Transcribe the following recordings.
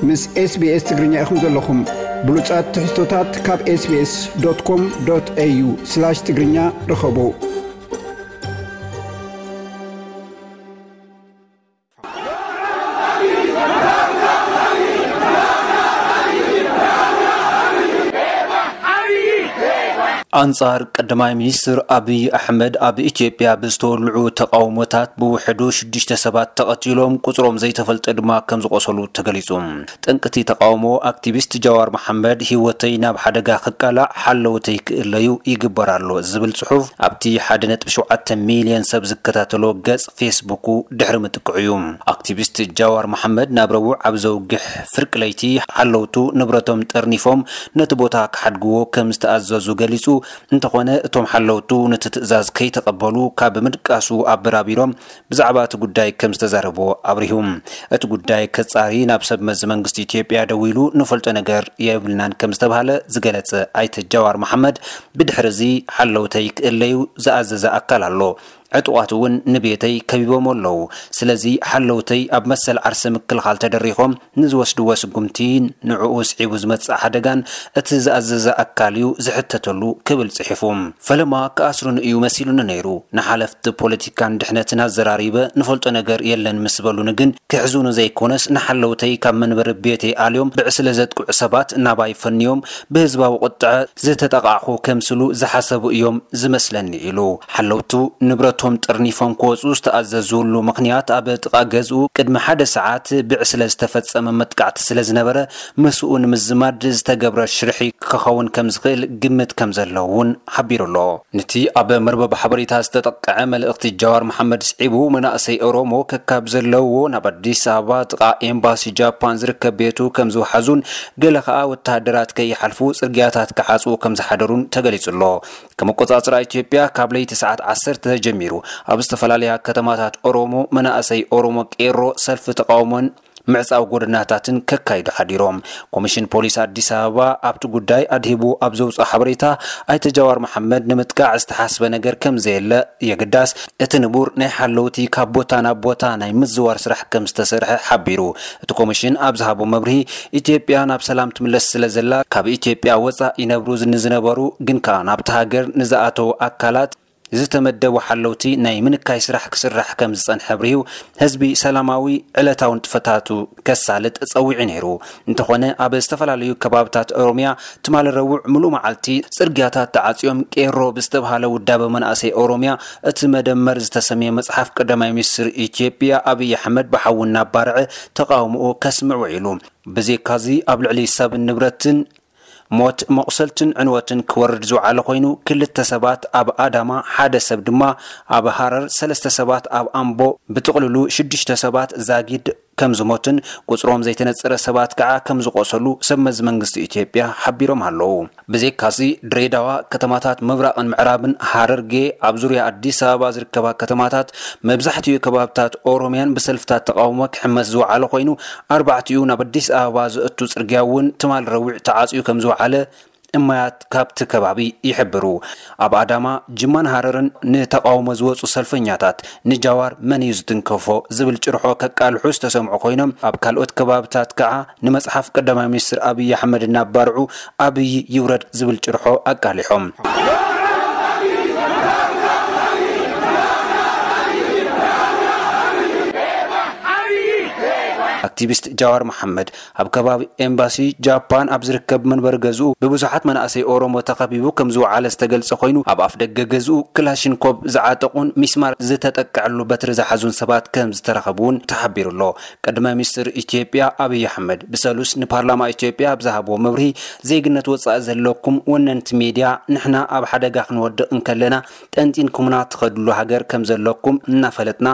ምስ SBS ትግርኛ ኢኹም ዘለኹም። ብሉጻት ትሕዝቶታት ካብ SBS.com.au/ትግርኛ ርኸቡ። ኣንጻር ቀዳማይ ሚኒስትር ኣብይ ኣሕመድ ኣብ ኢትዮጵያ ብዝተወልዑ ተቓውሞታት ብውሕዱ ሽዱሽተ ሰባት ተቐቲሎም፣ ቁጽሮም ዘይተፈልጠ ድማ ከም ዝቖሰሉ ተገሊጹ። ጠንቅቲ ተቓውሞ ኣክቲቪስት ጃዋር መሓመድ፣ "ህይወተይ ናብ ሓደጋ ክቃላዕ ሓለውተይ ክእለዩ ይግበር ኣሎ" ዝብል ጽሑፍ ኣብቲ ሓደ ነጥቢ ሸውዓተ ሚልዮን ሰብ ዝከታተሎ ገጽ ፌስቡኩ ድሕሪ ምጥቅዑ እዩ። ኣክቲቪስት ጃዋር መሓመድ ናብ ረቡዕ ኣብ ዘውግሕ ፍርቂ ለይቲ ሓለውቱ ንብረቶም ጠርኒፎም ነቲ ቦታ ክሓድግዎ ከም ዝተኣዘዙ ገሊጹ፣ እንተኾነ እቶም ሓለውቱ ነቲ ትእዛዝ ከይተቐበሉ ካብ ምድቃሱ ኣበራቢሮም ብዛዕባ እቲ ጉዳይ ከም ዝተዛረብዎ ኣብሪሁ። እቲ ጉዳይ ከጻሪ ናብ ሰብ መዚ መንግስቲ ኢትዮጵያ ደዊሉ ንፈልጦ ነገር የብልናን ከም ዝተባህለ ዝገለጸ ኣይተ ጃዋር መሓመድ፣ ብድሕሪ እዚ ሓለውተይ ክእለዩ ዝኣዘዘ ኣካል ኣሎ። ዕጡቓት እውን ንቤተይ ከቢቦም ኣለዉ። ስለዚ ሓለውተይ ኣብ መሰል ዓርሰ ምክልኻል ተደሪኾም ንዝወስድዎ ስጉምቲ፣ ንዕኡ ስዒቡ ዝመጽእ ሓደጋን እቲ ዝኣዘዘ ኣካል እዩ ዝሕተተሉ ክብል ጽሒፉ። ፈለማ ክኣስሩኒ እዩ መሲሉኒ ነይሩ። ንሓለፍቲ ፖለቲካን ድሕነትን ኣዘራሪበ ንፈልጦ ነገር የለን ምስ በሉኒ ግን ክሕዙኒ ዘይኮነስ ንሓለውተይ ካብ መንበሪ ቤተይ ኣልዮም ብዕስለ ዘጥቅዑ ሰባት ናባይ ፈንዮም ብህዝባዊ ቁጥዐ ዝተጠቓዕኹ ከምስሉ ዝሓሰቡ እዮም ዝመስለኒ ኢሉ። ሓለውቱ ንብረቶም ጠርኒፎም ክወጹ ዝተኣዘዙሉ ምኽንያት ኣብ ጥቓ ገዝኡ ቅድሚ ሓደ ሰዓት ብዕስለ ዝተፈጸመ መጥቃዕቲ ስለ ዝነበረ ምስኡ ንምዝማድ ዝተገብረ ሽርሒ ክኸውን ከም ዝኽእል ግምት ከም ዘለዎ እውን ሓቢሩ ኣሎ። ነቲ ኣብ መርበብ ሓበሬታ ዝተጠቅዐ መልእኽቲ ጃዋር መሓመድ ስዒቡ፣ መናእሰይ ኦሮሞ ከካብ ዘለውዎ ናብ ኣዲስ ኣበባ ጥቓ ኤምባሲ ጃፓን ዝርከብ ቤቱ ከም ዝወሓዙን ገለ ከኣ ወተሃደራት ከይሓልፉ ጽርግያታት ክዓጽዉ ከም ዝሓደሩን ተገሊጹ ኣሎ። ከም ኣቆጻጽራ ኢትዮጵያ ካብ ለይቲ ሰዓት ዓሰርተ ተጀሚሩ ኣብ ዝተፈላለያ ከተማታት ኦሮሞ መናእሰይ ኦሮሞ ቄሮ ሰልፊ ተቃውሞን ምዕጻው ጎደናታትን ከካይዱ ሓዲሮም። ኮሚሽን ፖሊስ ኣዲስ ኣበባ ኣብቲ ጉዳይ ኣድሂቡ ኣብ ዘውፅኦ ሓበሬታ፣ ኣይተ ጃዋር መሓመድ ንምጥቃዕ ዝተሓስበ ነገር ከም ዘየለ የግዳስ፣ እቲ ንቡር ናይ ሓለውቲ ካብ ቦታ ናብ ቦታ ናይ ምዝዋር ስራሕ ከም ዝተሰርሐ ሓቢሩ። እቲ ኮሚሽን ኣብ ዝሃቦ መብርሂ፣ ኢትዮጵያ ናብ ሰላም ትምለስ ስለ ዘላ፣ ካብ ኢትዮጵያ ወፃእ ይነብሩ ንዝነበሩ ግን ከኣ ናብቲ ሃገር ንዝኣተዉ ኣካላት ዝተመደቡ ሓለውቲ ናይ ምንካይ ስራሕ ክስራሕ ከም ዝጸንሐ ኣብሪሁ፣ ህዝቢ ሰላማዊ ዕለታዊ ንጥፈታቱ ከሳልጥ ጸዊዑ ነይሩ። እንተኾነ፣ ኣብ ዝተፈላለዩ ከባብታት ኦሮሚያ ትማሊ ረቡዕ ምሉእ መዓልቲ ጽርግያታት ተዓጽዮም፣ ቄሮ ብዝተብሃለ ውዳበ መናእሰይ ኦሮሚያ እቲ መደመር ዝተሰምየ መጽሓፍ ቀዳማይ ሚኒስትር ኢትዮጵያ ኣብይ ኣሕመድ ብሓዊ እናባርዐ ተቃውሞኡ ከስምዕ ውዒሉ። ብዘይካዚ ኣብ ልዕሊ ሰብን ንብረትን ሞት፣ መቑሰልትን ዕንወትን ክወርድ ዝወዓለ ኮይኑ፣ ክልተ ሰባት ኣብ ኣዳማ፣ ሓደ ሰብ ድማ ኣብ ሃረር፣ ሰለስተ ሰባት ኣብ ኣምቦ፣ ብጥቕልሉ ሽዱሽተ ሰባት ዛጊድ ከም ዝሞትን ቁጽሮም ዘይተነጸረ ሰባት ከዓ ከም ዝቆሰሉ ሰብ መዚ መንግስቲ ኢትዮጵያ ሓቢሮም ኣለዉ። ብዘይካዚ ድሬዳዋ፣ ከተማታት ምብራቕን ምዕራብን፣ ሃረርጌ፣ ኣብ ዙርያ ኣዲስ ኣበባ ዝርከባ ከተማታት፣ መብዛሕትኡ ከባብታት ኦሮሚያን ብሰልፍታት ተቃውሞ ክሕመስ ዝወዓለ ኮይኑ፣ ኣርባዕቲኡ ናብ ኣዲስ ኣበባ ዘእቱ ጽርግያ እውን ትማል ረዊዕ ተዓጽዩ ከም ዝወዓለ እማያት ካብቲ ከባቢ ይሕብሩ። ኣብ ኣዳማ፣ ጅማን ሃረርን ንተቃውሞ ዝወጹ ሰልፈኛታት ንጃዋር መን እዩ ዝትንከፎ ዝብል ጭርሖ ከቃልሑ ዝተሰምዑ ኮይኖም፣ ኣብ ካልኦት ከባብታት ከዓ ንመጽሓፍ ቀዳማይ ሚኒስትር ኣብይ ኣሕመድ እናባርዑ ኣብይ ይውረድ ዝብል ጭርሖ ኣቃሊሖም። ኣክቲቪስት ጃዋር መሓመድ ኣብ ከባቢ ኤምባሲ ጃፓን ኣብ ዝርከብ መንበሪ ገዝኡ ብብዙሓት መናእሰይ ኦሮሞ ተኸቢቡ ከም ዝወዓለ ዝተገልጸ ኮይኑ፣ ኣብ ኣፍ ደገ ገዝኡ ክላሽንኮቭ ዝዓጠቑን ሚስማር ዝተጠቅዐሉ በትሪ ዝሓዙን ሰባት ከም ዝተረኸቡ እውን ተሓቢሩ ኣሎ። ቀዳማይ ሚኒስትር ኢትዮጵያ ኣብይ ኣሕመድ ብሰሉስ ንፓርላማ ኢትዮጵያ ኣብ ዝሃብዎ መብርሂ፣ ዜግነት ወጻኢ ዘለኩም ወነንቲ ሚድያ፣ ንሕና ኣብ ሓደጋ ክንወድቕ እንከለና ጠንጢንኩምና ትኸድሉ ሃገር ከም ዘለኩም እናፈለጥና፣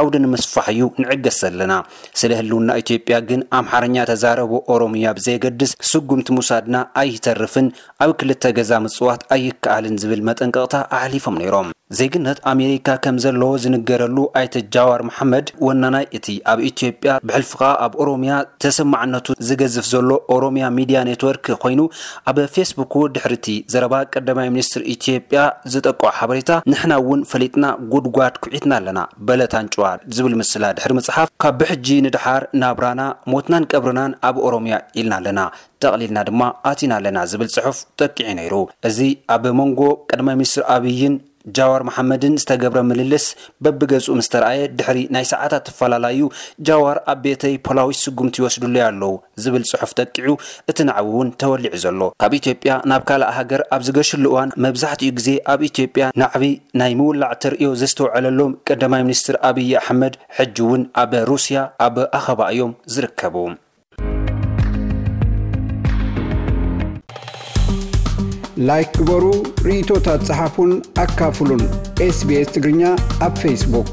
ዓውዲ ንምስፋሕ እዩ ንዕገስ ዘለና። ስለ ህልውና ኢትዮጵያ ግን ኣምሓርኛ ተዛረቡ ኦሮምያ ብዘየገድስ ስጉምቲ ምውሳድና ኣይተርፍን፣ ኣብ ክልተ ገዛ ምጽዋት ኣይከኣልን ዝብል መጠንቀቕታ ኣሕሊፎም ነይሮም። ዜግነት ኣሜሪካ ከም ዘለዎ ዝንገረሉ ኣይተ ጃዋር መሓመድ፣ ወናናይ እቲ ኣብ ኢትዮጵያ፣ ብሕልፊ ከኣ ኣብ ኦሮሚያ ተሰማዕነቱ ዝገዝፍ ዘሎ ኦሮሚያ ሚድያ ኔትወርክ ኮይኑ፣ ኣብ ፌስቡኩ ድሕሪ እቲ ዘረባ ቀዳማይ ሚኒስትር ኢትዮጵያ ዝጠቅዖ ሓበሬታ፣ "ንሕና እውን ፈሊጥና ጉድጓድ ኩዒትና ኣለና፣ በለት ኣንጭዋ" ዝብል ምስላ ድሕሪ ምጽሓፍ፣ "ካብ ብሕጂ ንድሓር ናብራና፣ ሞትናን ቀብርናን ኣብ ኦሮሚያ ኢልና ኣለና፣ ጠቕሊልና ድማ ኣቲና ኣለና" ዝብል ጽሑፍ ጠቂዑ ነይሩ። እዚ ኣብ መንጎ ቀዳማይ ሚኒስትር ኣብይን ጃዋር መሓመድን ዝተገብረ ምልልስ በብገጹ ምስ ተረኣየ፣ ድሕሪ ናይ ሰዓታት እፈላላዩ፣ ጃዋር ኣብ ቤተይ ፖላዊ ስጉምቲ ይወስዱለይ ኣለዉ ዝብል ጽሑፍ ጠቂዑ፣ እቲ ናዕቢ እውን ተወሊዑ ዘሎ። ካብ ኢትዮጵያ ናብ ካልእ ሃገር ኣብ ዝገሽሉ እዋን፣ መብዛሕትኡ ግዜ ኣብ ኢትዮጵያ ናዕቢ ናይ ምውላዕ ተርእዮ ዘስተውዐለሎም ቀዳማይ ሚኒስትር ኣብይ ኣሕመድ፣ ሕጂ እውን ኣብ ሩስያ ኣብ ኣኸባ እዮም ዝርከቡ። ላይክ ግበሩ፣ ርእይቶታት ጸሓፉን ኣካፍሉን። ኤስቢኤስ ትግርኛ ኣብ ፌስቡክ።